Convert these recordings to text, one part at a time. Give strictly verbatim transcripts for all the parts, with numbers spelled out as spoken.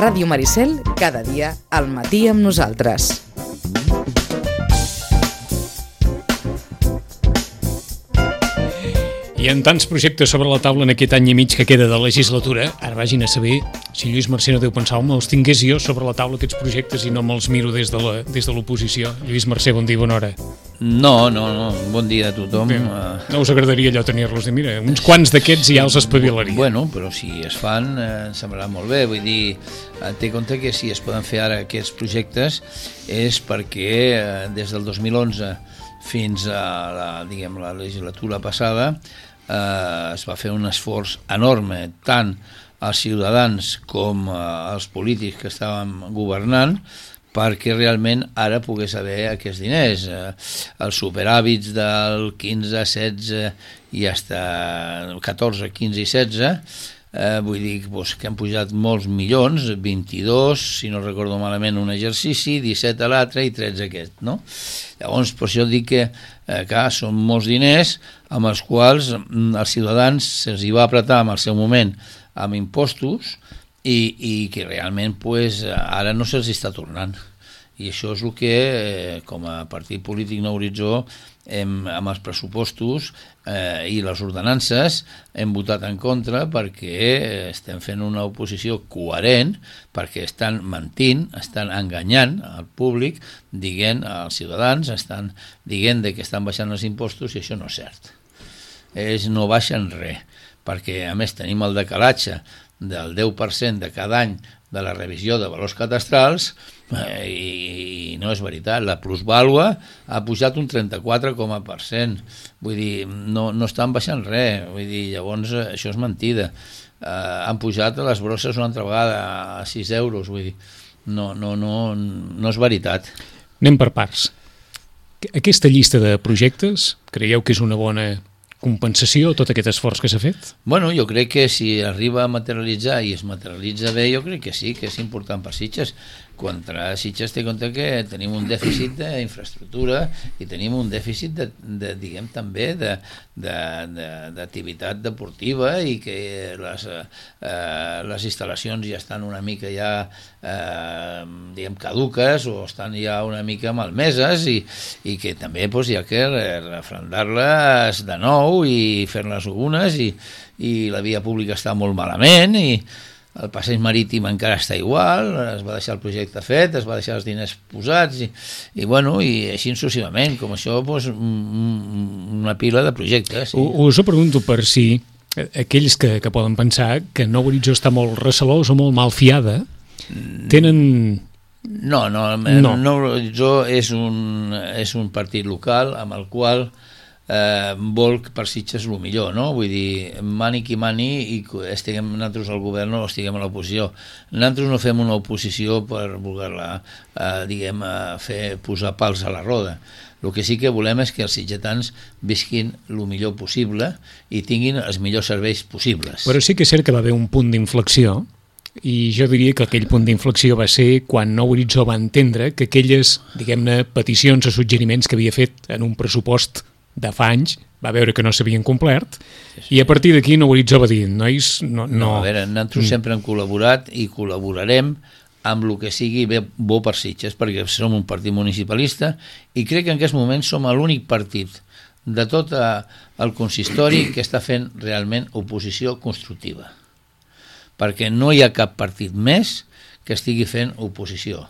Ràdio Maricel, cada dia al matí amb nosaltres. Hi ha tants projectes sobre la taula en aquest any i mig que queda de legislatura. Ara vagin a saber si Lluís Mercè no deu pensar home, els tingués jo sobre la taula aquests projectes i no me'ls miro des de la, des de l'oposició. Lluís Mercè, bon dia, bona hora. No, no, no, bon dia a tothom. Bé, no us agradaria allò tenir-los de mira, uns quants d'aquests ja els espavilaria. Bueno, però si es fan, eh, em semblarà molt bé. Vull dir, eh, té compte que si es poden fer ara aquests projectes és perquè eh, des del dos mil onze fins a la, diguem, la legislatura passada eh, es va fer un esforç enorme, tant als ciutadans com als polítics que estàvem governant, perquè realment ara pogués haver aquests diners. Eh, els superàvits del quinze, setze i fins catorze, quinze i setze, eh, vull dir doncs, que han pujat molts milions, vint-i-dos, si no recordo malament, un exercici, disset a l'altre i tretze aquest, no? Llavors, per això dic que, eh, clar, són molts diners amb els quals mm, els ciutadans se'ls hi va apretar en el seu moment amb impostos, i, i que realment pues, ara no se'ls està tornant. I això és el que, eh, com a partit polític Nou Horitzó, hem, amb els pressupostos eh, i les ordenances, hem votat en contra perquè estem fent una oposició coherent, perquè estan mentint, estan enganyant al públic, dient als ciutadans, estan dient que estan baixant els impostos i això no és cert. Ells no baixen res, perquè a més tenim el decalatge del deu per cent de cada any de la revisió de valors cadastrals eh, i no és veritat, la plusvàlua ha pujat un trenta-quatre coma per cent, vull dir, no, no estan baixant res, vull dir, llavors això és mentida. Eh, han pujat les brosses una altra vegada a sis euros, vull dir, no, no, no, no és veritat. Anem per parts. Aquesta llista de projectes, creieu que és una bona compensació tot aquest esforç que s'ha fet? Bueno, jo crec que si arriba a materialitzar i es materialitza bé, jo crec que sí, que és important per Sitges. Contra Sitges té compte que tenim un dèficit d'infraestructura i tenim un dèficit de, de diguem també de, de, de, d'activitat deportiva i que les, eh, les instal·lacions ja estan una mica ja eh, diguem caduques o estan ja una mica malmeses i, i que també doncs, hi ha que refrendar-les de nou i fer-les algunes i, i la via pública està molt malament i el passeig marítim encara està igual, es va deixar el projecte fet, es va deixar els diners posats i, i, bueno, i així successivament, com això doncs, una pila de projectes. Sí. Us ho pregunto per si aquells que, que poden pensar que Nou Horitzó està molt recelós o molt malfiada, tenen... No, no, no. Nou Horitzó és un, és un partit local amb el qual Eh, vol per Sitges el millor, no? Vull dir, mani qui mani i estiguem nosaltres al govern o estiguem a l'oposició. Nosaltres no fem una oposició per voler-la eh, diguem, eh, fer posar pals a la roda. El que sí que volem és que els sitgetans visquin el millor possible i tinguin els millors serveis possibles. Però sí que és cert que va haver un punt d'inflexió i jo diria que aquell punt d'inflexió va ser quan Nou Horitzó va entendre que aquelles, diguem-ne, peticions o suggeriments que havia fet en un pressupost de fa anys, va veure que no s'havien complert, sí, sí. I a partir d'aquí Nou Horitzó va dir, nois, no... No, no a veure, nosaltres mm. sempre hem col·laborat i col·laborarem amb el que sigui bé, bo per Sitges, perquè som un partit municipalista i crec que en aquest moment som l'únic partit de tot el consistori que està fent realment oposició constructiva. Perquè no hi ha cap partit més que estigui fent oposició.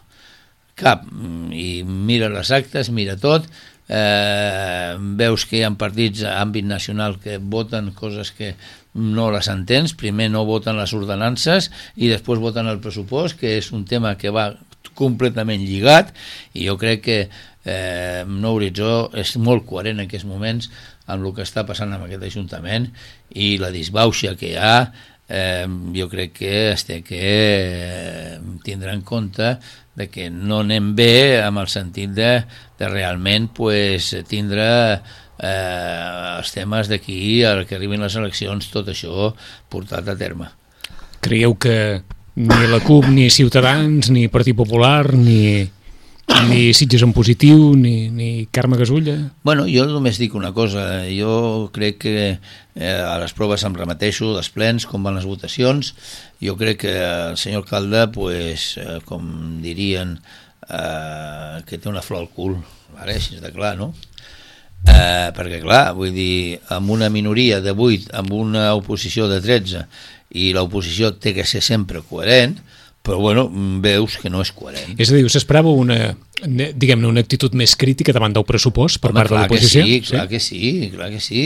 Cap. I mira les actes, mira tot... Eh, veus que hi ha partits a àmbit nacional que voten coses que no les entens, primer no voten les ordenances i després voten el pressupost, que és un tema que va completament lligat i jo crec que eh, Nou Horitzó és molt coherent en aquests moments amb el que està passant amb aquest Ajuntament i la disbauxa que hi ha. Eh, jo crec que es té que eh, tindre en compte de que no anem bé amb el sentit de, de realment pues, tindre eh, els temes d'aquí, al que arribin les eleccions, tot això portat a terme. Creieu que ni la CUP, ni Ciutadans, ni Partit Popular, ni ni Sitges en positiu, ni, ni Carme Gasulla? Bueno, jo només dic una cosa. Jo crec que eh, a les proves em remeteixo dels plens, com van les votacions. Jo crec que el senyor alcalde, pues, eh, com dirien, eh, que té una flor al cul, vale? Així és de clar, no? Eh, perquè clar, vull dir, amb una minoria de vuit, amb una oposició de tretze, i l'oposició té que ser sempre coherent, però bueno, veus que no és coherent. És a dir, s'esperava una, diguem-ne, una actitud més crítica davant del pressupost per Home, part de l'oposició? Sí, clar que sí, clar que sí.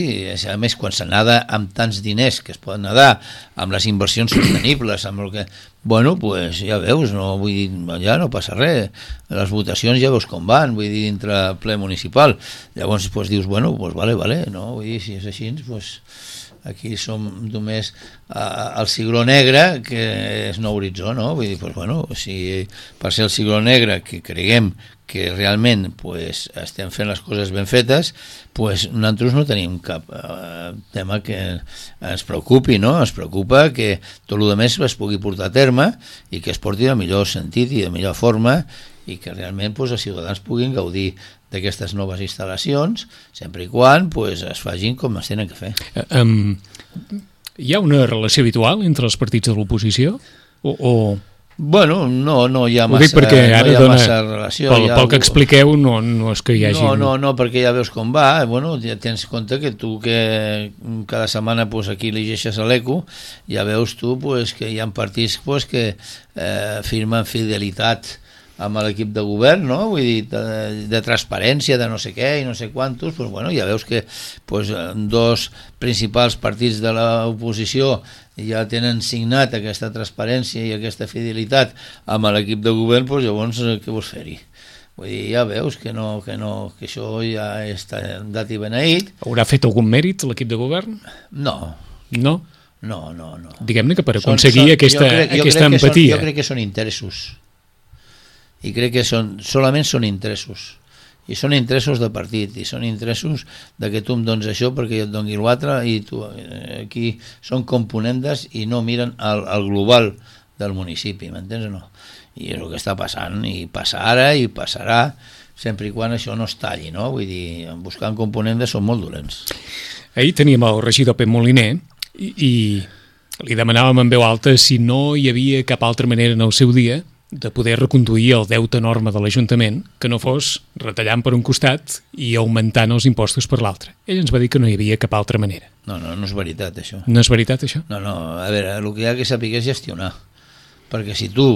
A més, quan s'anada amb tants diners que es poden anar, amb les inversions sostenibles, amb el que... Bueno, pues ja veus, no, vull dir, ja no passa res. Les votacions ja veus com van, vull dir, dintre el ple municipal. Llavors, pues, dius, bueno, pues vale, vale, no? Vull dir, si és així, pues... Aquí som només uh, el cigró negre, que és no horitzó, no? Vull dir, pues, bueno, si per ser el cigró negre, que creguem que realment pues, estem fent les coses ben fetes, pues, nosaltres no tenim cap uh, tema que ens preocupi, no? Ens preocupa que tot el que més es pugui portar a terme i que es porti de millor sentit i de millor forma i que realment pues, els ciutadans puguin gaudir d'aquestes noves instal·lacions, sempre i quan pues, es facin com es tenen que fer. Um, hi ha una relació habitual entre els partits de l'oposició? O, o... Bueno, no, no hi ha massa, perquè ara no hi ha dona, massa relació. Pel, pel que expliqueu, no, no és que hi hagi... No, no, no, perquè ja veus com va. Bueno, ja tens compte que tu que cada setmana pues, aquí llegeixes a l'Eco, ja veus tu pues, que hi ha partits pues, que eh, firmen fidelitat amb l'equip de govern, no? Vull dir, de, de transparència, de no sé què i no sé quantos, pues, bueno, ja veus que pues, dos principals partits de l'oposició ja tenen signat aquesta transparència i aquesta fidelitat amb l'equip de govern, pues, llavors què vols fer-hi? Vull dir, ja veus que, no, que, no, que això ja està dat i beneït. Haurà fet algun mèrit l'equip de govern? No. No? No, no, no. Diguem-ne que per aconseguir són, són, aquesta, jo crec, jo aquesta crec empatia. Són, jo crec que són interessos. I crec que són, solament són interessos i són interessos de partit i són interessos de que tu em dones això perquè jo et doni l'altre i tu, aquí són componentes i no miren el, el global del municipi, m'entens o no? I és el que està passant i passa ara i passarà sempre i quan això no es talli, no? Vull dir, buscant componentes són molt dolents. Ahir teníem el regidor Pep Moliner i, i li demanàvem en veu alta si no hi havia cap altra manera en el seu dia de poder reconduir el deute enorme de l'Ajuntament, que no fos retallant per un costat i augmentant els impostos per l'altre. Ell ens va dir que no hi havia cap altra manera. No, no, no és veritat, això. No és veritat, això? No, no, a veure, el que hi ha que saber és gestionar. Perquè si tu,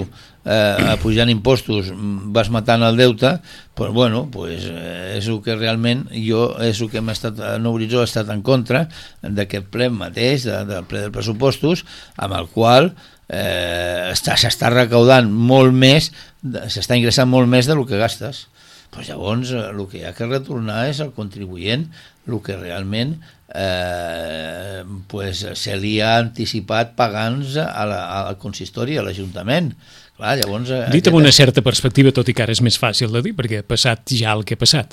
eh, pujant impostos, vas matant el deute, pues, bueno, pues, eh, és el que realment jo, és el que hem estat, no horitzó ha estat en contra d'aquest ple mateix, de, del ple dels pressupostos, amb el qual eh, s'està recaudant molt més, s'està ingressant molt més del que gastes. Pues llavors el que hi ha que retornar és al contribuent el que realment eh, pues, se li ha anticipat pagant-nos a la, al consistori, a l'Ajuntament. Clar, llavors... Dit amb una certa perspectiva, tot i que ara és més fàcil de dir, perquè ha passat ja el que ha passat.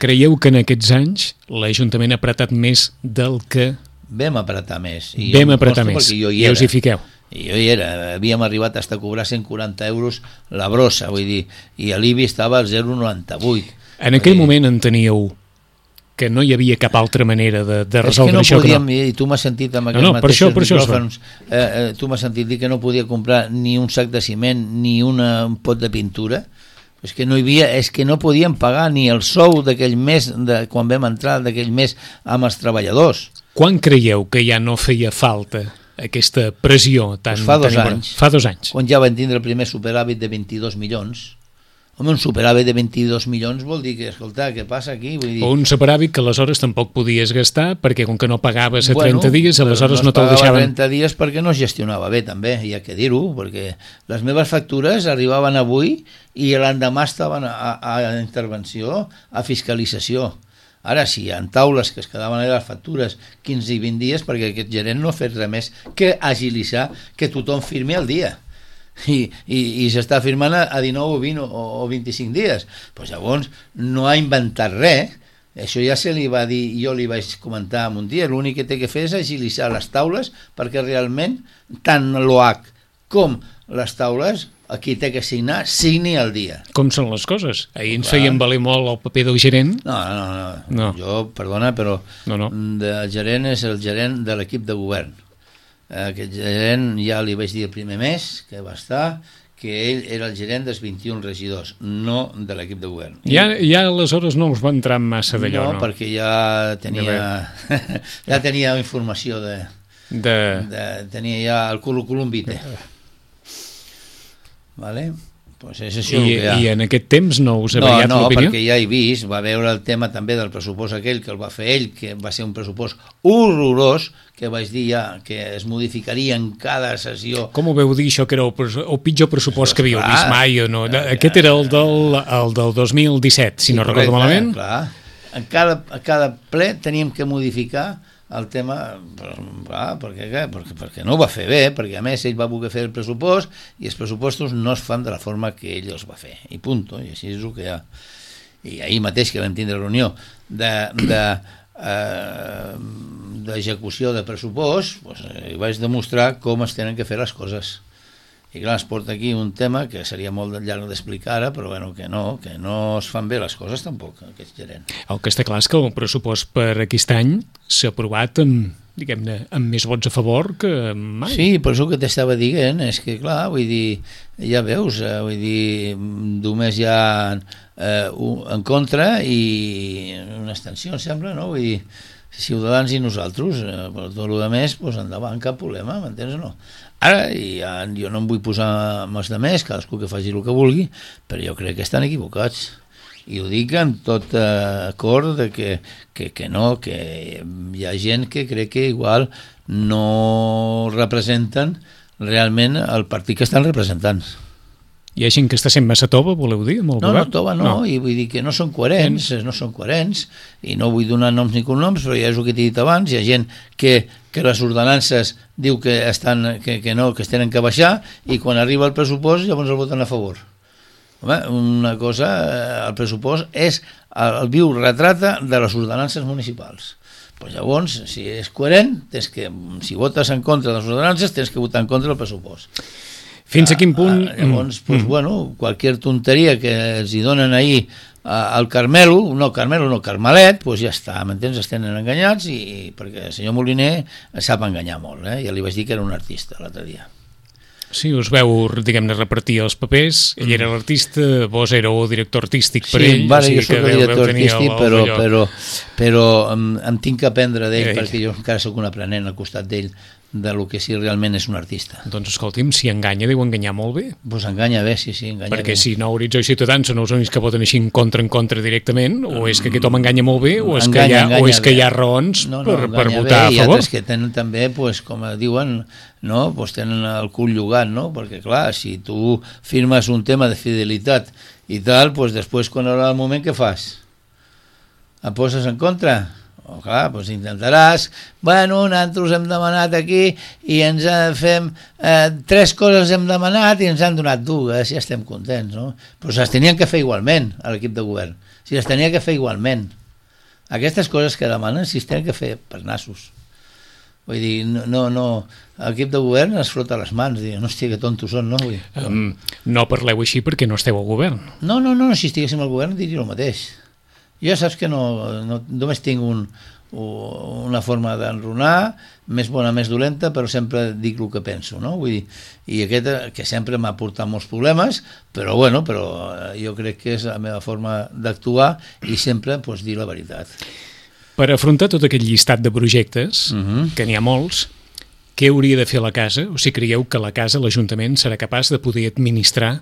Creieu que en aquests anys l'Ajuntament ha apretat més del que... Vam apretar més. I Vam apretar més, i us hi fiqueu. I jo hi era, havíem arribat a cobrar cent quaranta euros la brossa, vull dir, i l'I B I estava al zero coma noranta-vuit. En aquell dir... moment enteníeu que no hi havia cap altra manera de, de resoldre no això podíem, que no. I tu m'has sentit amb aquests no, no, mateixos per això, micròfons, eh, eh, tu m'has sentit dir que no podia comprar ni un sac de ciment ni una, un pot de pintura. És que no hi havia, és que no podíem pagar ni el sou d'aquell mes, de, quan vam entrar d'aquell mes amb els treballadors. Quan creieu que ja no feia falta aquesta pressió tan... Pues fa dos tan anys. Fa dos anys. Quan ja van tindre el primer superàvit de vint-i-dos milions. Home, un superàvit de vint-i-dos milions vol dir que, escolta, què passa aquí? Vull dir... O un superàvit que aleshores tampoc podies gastar perquè com que no pagaves a bueno, trenta dies, aleshores no, no te'l deixaven... trenta dies perquè no es gestionava bé, també, hi ha que dir-ho, perquè les meves factures arribaven avui i l'endemà estaven a, a, a intervenció, a fiscalització. Ara sí, hi ha taules que es quedaven a les factures quinze i vint dies perquè aquest gerent no ha fet res més que agilitzar que tothom firmi al dia. I, i, i s'està firmant a dinou o vint o, o vint-i-cinc dies. Pues llavors no ha inventat res. Això ja se li va dir, jo li vaig comentar un dia, l'únic que té que fer és agilitzar les taules perquè realment tant l'O H com les taules qui té que signar, signi al dia. Com són les coses? Ahir ens Clar. feien valer molt el paper del gerent. No, no, no, No. jo, perdona, però No, no. el gerent és el gerent de l'equip de govern. Aquest gerent ja li vaig dir el primer mes que va estar, que ell era el gerent dels vint-i-un regidors, no de l'equip de govern. Ja, ja aleshores no us va entrar massa d'allò, no? no? No, perquè ja tenia, ja tenia informació de, De... de... Tenia ja el currículum vitae. Vale? Pues és això I, el que hi ha. I en aquest temps no us ha No, variat no, l'opinió? perquè ja he vist, va veure el tema també del pressupost aquell que el va fer ell, que va ser un pressupost horrorós, que vaig dir ja que es modificaria en cada sessió. Com ho veu dir, això, que era el, pres- el pitjor pressupost que havíeu Clar. vist mai? O no? Aquest era el del, el del dos mil disset, si Sí, no correcte, recordo malament. Clar. En cada, a cada ple teníem que modificar el tema, clar, perquè, perquè, perquè no ho va fer bé, perquè a més ell va voler fer el pressupost i els pressupostos no es fan de la forma que ell els va fer, i punto, i així és el que hi ha. I ahir mateix que vam tindre reunió de, de, eh, d'execució de pressupost, doncs, eh, vaig demostrar com es tenen que fer les coses. I clar, es porta aquí un tema que seria molt llarg d'explicar ara, però bueno, que no, que no es fan bé les coses tampoc, aquest gerent. El que està clar és que el pressupost per aquest any s'ha aprovat amb, diguem-ne, amb més vots a favor que mai. Sí, per això que t'estava dient, és que clar, vull dir, ja veus, eh, vull dir, només hi ha eh, un, en contra i una extensió, em sembla, no? Vull dir, Ciutadans i nosaltres, eh, però tot el més, doncs endavant, cap problema, m'entens o no? Ara, ja, jo no em vull posar amb els de més, cadascú que faci el que vulgui, però jo crec que estan equivocats. I ho dic amb tot eh, acord de que, que, que no, que hi ha gent que crec que igual no representen realment el partit que estan representant. Hi ha gent que està sent massa tova, voleu dir, amb el No, govern? no, tova no, no, i vull dir que no són coherents, no són coherents, i no vull donar noms ni cognoms, però ja és el que t'he dit abans, hi ha gent que, que les ordenances diu que, estan, que, que no, que es tenen que baixar, i quan arriba el pressupost llavors el voten a favor. Home, una cosa, el pressupost és el, el viu retrata de les ordenances municipals. Pues llavors, si és coherent, tens que, si votes en contra de les ordenances, tens que votar en contra del pressupost. Fins a quin punt... Ah, llavors, pues, mm. bueno, qualsevol tonteria que els hi donen ahir al Carmelo, no Carmelo, no Carmelet, pues ja està, m'entens? Es tenen enganyats, i perquè el senyor Moliner sap enganyar molt, eh? Ja li vaig dir que era un artista l'altre dia. Sí, us veu, diguem-ne, repartir els papers, ell era l'artista, vos éreu director artístic per sí, ell. vale, o sigui jo soc el director artístic, però, però, però em, em tinc que aprendre d'ell, perquè jo encara sóc un aprenent al costat d'ell, de lo que sí realment és un artista. Doncs escolti'm, si enganya, deu enganyar molt bé. Pues enganya bé, sí, sí, enganya Perquè bé. si no Horitzó i Ciutadans són els únics que voten així en contra en contra directament, o és que aquest home enganya molt bé, o és enganya, que hi ha, enganya o és que bé. hi ha raons no, no, per, per enganya votar bé, a i favor. altres que tenen també, pues, com diuen, no? Pues tenen el cul llogat, no? Perquè clar, si tu firmes un tema de fidelitat i tal, pues després quan haurà el moment, què fas? Et poses en contra? O clar, doncs intentaràs, bueno, nosaltres hem demanat aquí i ens fem, eh, tres coses hem demanat i ens han donat dues, i estem contents, no? Però se les tenien que fer igualment a l'equip de govern, si les tenia que fer igualment. Aquestes coses que demanen si es tenen que fer per nassos. Vull dir, no, no, no, l'equip de govern es frota les mans, diu, no, hòstia, que tontos són, no? Vull dir, Um, no parleu així perquè no esteu al govern. no, no, no, si estiguéssim al govern diria el mateix. Jo saps que no, no només tinc un, una forma d'enronar, més bona, més dolenta, però sempre dic el que penso, no? Vull dir, i aquest que sempre m'ha portat molts problemes, però bueno, però jo crec que és la meva forma d'actuar i sempre pues, dir la veritat. Per afrontar tot aquest llistat de projectes, Uh-huh. que n'hi ha molts, què hauria de fer la casa? O si creieu que la casa, l'Ajuntament, serà capaç de poder administrar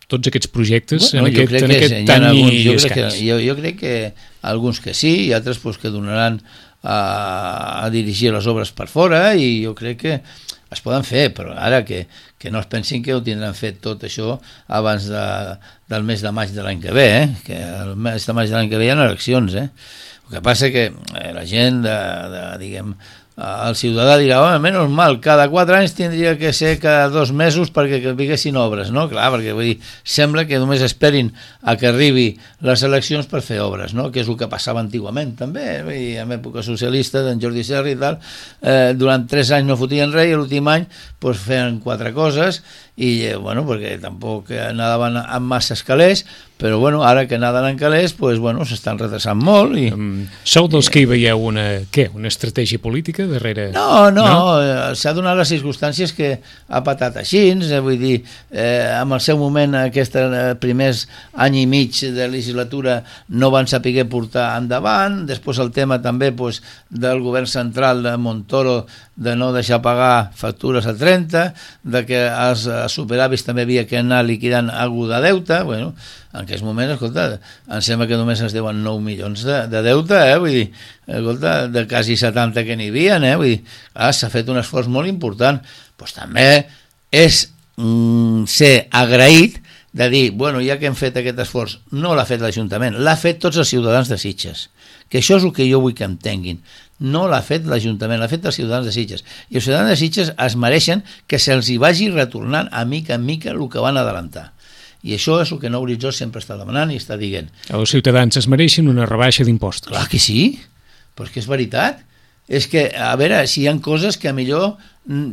tots aquests projectes Bueno, en aquest, en que aquest hi ha any alguns, i jo crec escaig? que, jo, jo crec que alguns que sí i altres pues, que donaran a, a dirigir les obres per fora, i jo crec que es poden fer, però ara que, que no es pensin que ho tindran fet tot això abans de, del mes de maig de l'any que ve, eh? Que el mes de maig de l'any que ve hi ha eleccions, eh? El que passa que eh, la gent de, de, diguem, el ciutadà dirà, home, menys mal, cada quatre anys tindria que ser cada dos mesos perquè que vinguessin obres, no? Clar, perquè vull dir, sembla que només esperin a que arribi les eleccions per fer obres, no? Que és el que passava antigament també, vull dir, en època socialista d'en Jordi Serra i tal, eh, durant tres anys no fotien res i l'últim any pues, feien quatre coses i, eh, bueno, perquè tampoc nadaven amb massa calés, però bueno, ara que naden en calés, pues, bueno, s'estan retrasant molt. I, um, sou dels que hi veieu una, què, una estratègia política darrere? No, no, no? Eh, s'ha donat les circumstàncies que ha patat així, eh, vull dir, eh, en el seu moment aquests eh, primers any i mig de legislatura no van saber portar endavant, després el tema també pues, del govern central de Montoro de no deixar pagar factures a trenta, de que els superàvits també havia que anar liquidant algú de deute, bueno, en aquests moments, escolta, em sembla que només es deuen nou milions de, de deute, eh? Vull dir, escolta, de quasi setanta que n'hi havia, eh? Vull dir, ah, s'ha fet un esforç molt important, doncs també és mm, ser agraït de dir, bueno, ja que hem fet aquest esforç, no l'ha fet l'Ajuntament, l'ha fet tots els ciutadans de Sitges, que això és el que jo vull que entenguin, no l'ha fet l'Ajuntament, l'ha fet els ciutadans de Sitges, i els ciutadans de Sitges es mereixen que se'ls hi vagi retornant a mica en mica el que van adelantar. I això és el que Nou Horitzó sempre està demanant i està dient. Els ciutadans es mereixen una rebaixa d'impostos. Clar que sí, però és que és veritat. És que, a veure, si hi ha coses que millor,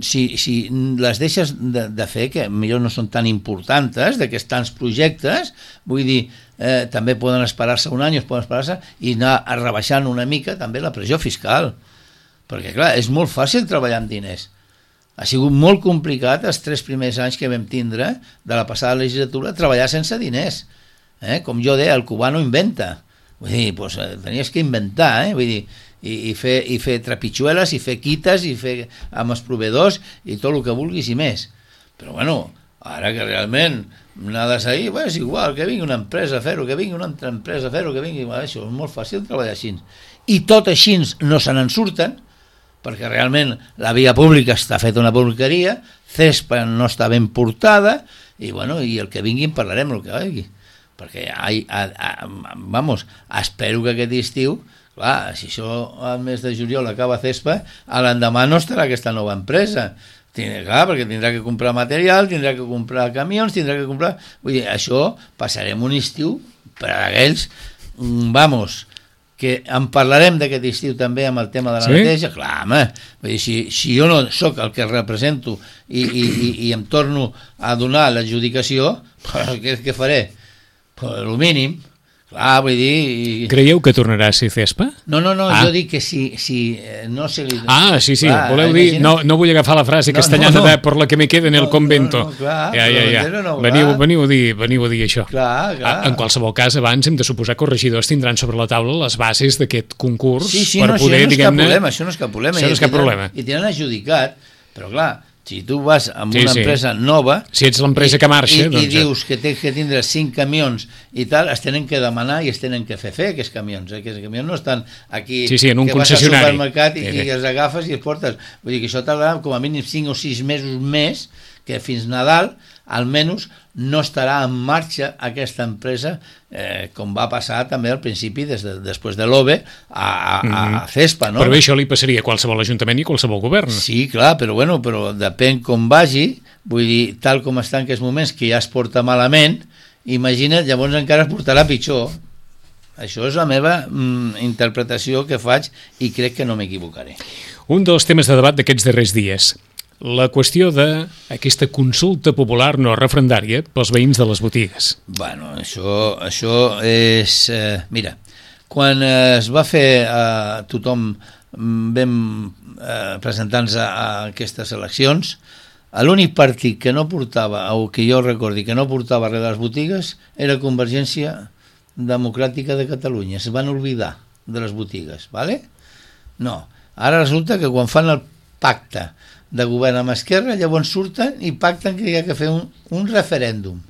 si, si les deixes de, de fer, que millor no són tan importants, d'aquests tants projectes, vull dir, eh, també poden esperar-se un any, es poden esperar-se, i anar rebaixant una mica també la pressió fiscal. Perquè, clar, és molt fàcil treballar amb diners. Ha sigut molt complicat els tres primers anys que vam tindre de la passada legislatura treballar sense diners. Eh? Com jo deia, el cubà no inventa. Vull dir, pues, tenies que inventar, eh? Vull dir, i, i, fer, i fer trepitxueles, i fer quites, i fer amb els proveedors, i tot el que vulguis i més. Però bueno, ara que realment nades ahí, bueno, és igual, que vingui una empresa a fer-ho, que vingui una altra empresa a fer-ho, que vingui... Bueno, això és molt fàcil treballar així. I tot així no se n'en surten, perquè realment la via pública està feta una porqueria, Cespa no està ben portada, i bueno, i el que vingui en parlarem el que vingui. Perquè, ai, a, a, vamos, espero que aquest estiu, clar, si això al mes de juliol acaba Cespa, a l'endemà no estarà aquesta nova empresa. Tindrà, clar, perquè tindrà que comprar material, tindrà que comprar camions, tindrà que comprar... Vull dir, això passarem un estiu per a aquells, vamos... que en parlarem d'aquest estiu també amb el tema de la sí? neteja, clar, home, vull dir, si, si jo no sóc el que represento i, i, i, i em torno a donar l'adjudicació, què, què faré? Pues, el mínim, clar, vull dir... I... Creieu que tornarà a ser Cespa? No, no, no, ah. jo dic que si, si no se li... Ah, sí, sí, clar, voleu imagina... dir... No, no vull agafar la frase no, castellana no, no. de por la que me quede en el no, convento. No, no, clar, ja, ja, ja. No, veniu, veniu, a dir, veniu a dir això. Clar, clar. En qualsevol cas, abans hem de suposar que els regidors tindran sobre la taula les bases d'aquest concurs sí, sí, per no, poder, no diguem-ne... Problema, això no és cap problema. Això no és cap problema. I tenen adjudicat, però clar... Si tu vas amb sí, una sí. empresa nova... Si ets l'empresa que marxa... I, doncs... i dius que tens que tindre cinc camions i tal, es tenen que demanar i es tenen que fer fer aquests camions. Eh? Aquests camions no estan aquí... Sí, sí, en un que concessionari. Vas al supermercat i, sí, sí. i els agafes i els portes. Vull dir que això tardarà com a mínim cinc o sis mesos més, que fins Nadal, almenys, no estarà en marxa aquesta empresa, eh, com va passar també al principi, des de, després de l'O B E, a, a, a Cespa, no? Però bé, això li passaria a qualsevol ajuntament i a qualsevol govern. Sí, clar, però bueno, però depèn com vagi, vull dir, tal com està en aquests moments, que ja es porta malament, imagina't, llavors encara es portarà pitjor. Això és la meva mm, interpretació que faig i crec que no m'equivocaré. Un dels temes de debat d'aquests darrers dies, la qüestió d'aquesta consulta popular no referendària pels veïns de les botigues. Bueno, això, això és... Eh, mira, quan eh, es va fer eh, tothom vam eh, presentar-nos a, a aquestes eleccions, l'únic partit que no portava, o que jo recordi que no portava res de les botigues, era Convergència Democràtica de Catalunya. Es van oblidar de les botigues, ¿vale? No. Ara resulta que quan fan el pacte de govern amb Esquerra, llavors surten i pacten que hi ha que fer un, un referèndum.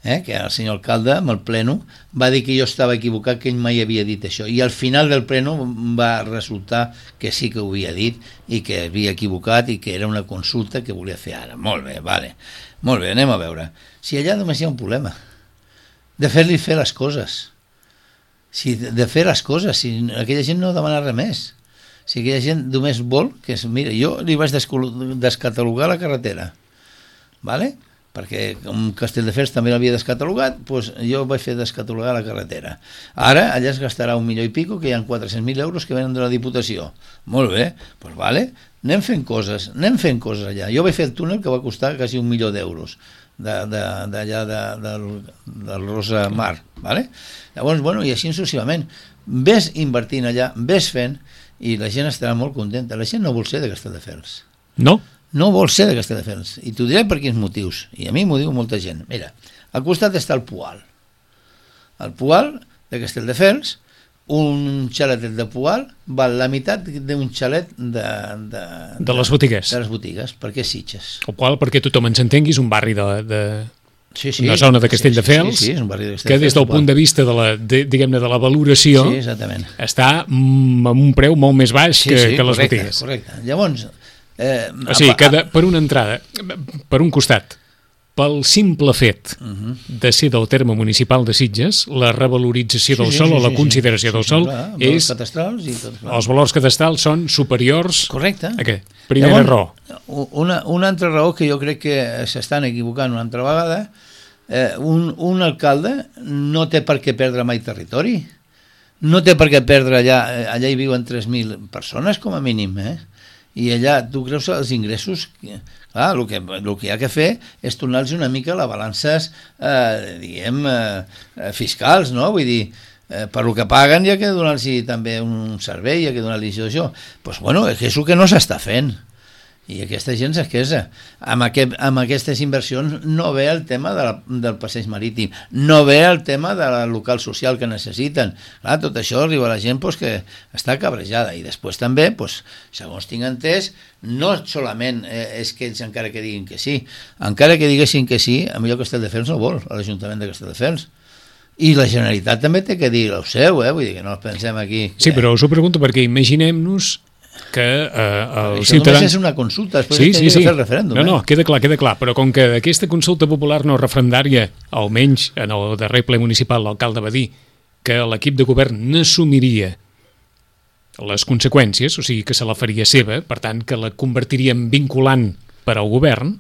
Eh? Que el senyor alcalde, amb el pleno, va dir que jo estava equivocat, que ell mai havia dit això. I al final del pleno va resultar que sí que ho havia dit i que havia equivocat i que era una consulta que volia fer ara. Molt bé, vale. Molt bé, anem a veure. Si allà només hi ha un problema, de fer-li fer les coses. Si de fer les coses, si aquella gent no demana res més. sigui, hi ha gent només vol que... Es, mira, jo li vaig descatalogar la carretera, ¿vale? Perquè com Castelldefels també l'havia descatalogat, doncs jo vaig fer descatalogar la carretera. Ara allà es gastarà un milió i pico, que hi ha quatre-cents mil euros que venen de la Diputació. Molt bé, doncs vale, anem fent coses, anem fent coses allà. Jo vaig fer el túnel que va costar quasi un milió d'euros, d'allà de, de, de, del, del Rosa Mar, ¿vale? Llavors, bueno, i així successivament. Ves invertint allà, ves fent, i la gent estarà molt contenta. La gent no vol ser de Castelldefels. No? No vol ser de Castelldefels. I t'ho diré per quins motius. I a mi m'ho diu molta gent. Mira, al costat està el Poal. El Poal de Castelldefels, un xaletet de Poal val la meitat d'un xalet de, de, de les botigues. De les botigues, perquè és Sitges. El qual, perquè tothom ens entengui, és un barri de, de, sí, sí, una zona de Castelldefels, sí, sí, sí, és un barri de que des del punt de vista de la, de, diguem-ne, de la valoració, sí, exactament, està amb un preu molt més baix sí, que, sí, que les correcte, botigues. Correcte. Llavors, Eh, o sigui, que de, per una entrada, per un costat, pel simple fet uh-huh. de ser del terme municipal de Sitges, la revalorització sí, del sí, sòl sí, o la sí, consideració sí, del sí, sòl clar, és... i tot, els valors cadastrals són superiors... Correcte. A què? Primera Llavors, raó. Una, una altra raó que jo crec que s'estan equivocant una altra vegada, eh, un, un alcalde no té per què perdre mai territori. No té per què perdre allà... Allà hi viuen tres mil persones, com a mínim, eh? I allà, tu creus els ingressos... Clar, el que, el que hi ha que fer és tornar-los una mica les balances, eh, diguem, eh, fiscals, no? Vull dir, eh, per el que paguen hi ha que donar-los també un servei, hi ha que donar-los això. Doncs, pues, bueno, és el que no s'està fent. I aquesta gent s'esquesa. Amb, aquest, amb aquestes inversions no ve el tema de la, del passeig marítim, no ve el tema del local social que necessiten. Clar, tot això arriba a la gent pues, que està cabrejada. I després també, pues, segons tinc entès, no solament eh, és que ells encara que diguin que sí, encara que diguessin que sí, a millor Castelldefels no vol, a l'Ajuntament de Castelldefels. I la Generalitat també té que dir el seu, eh? Vull dir que no pensem aquí... Que... Sí, però us ho pregunto perquè imaginem-nos que eh, els Això ciutadans... només és una consulta, després sí, sí, sí. fer el referèndum. No, no, eh? queda clar, queda clar, però com que aquesta consulta popular no referendària, almenys en el darrer ple municipal l'alcalde va dir que l'equip de govern n'assumiria les conseqüències, o sigui que se la faria seva, per tant que la convertiria en vinculant per al govern,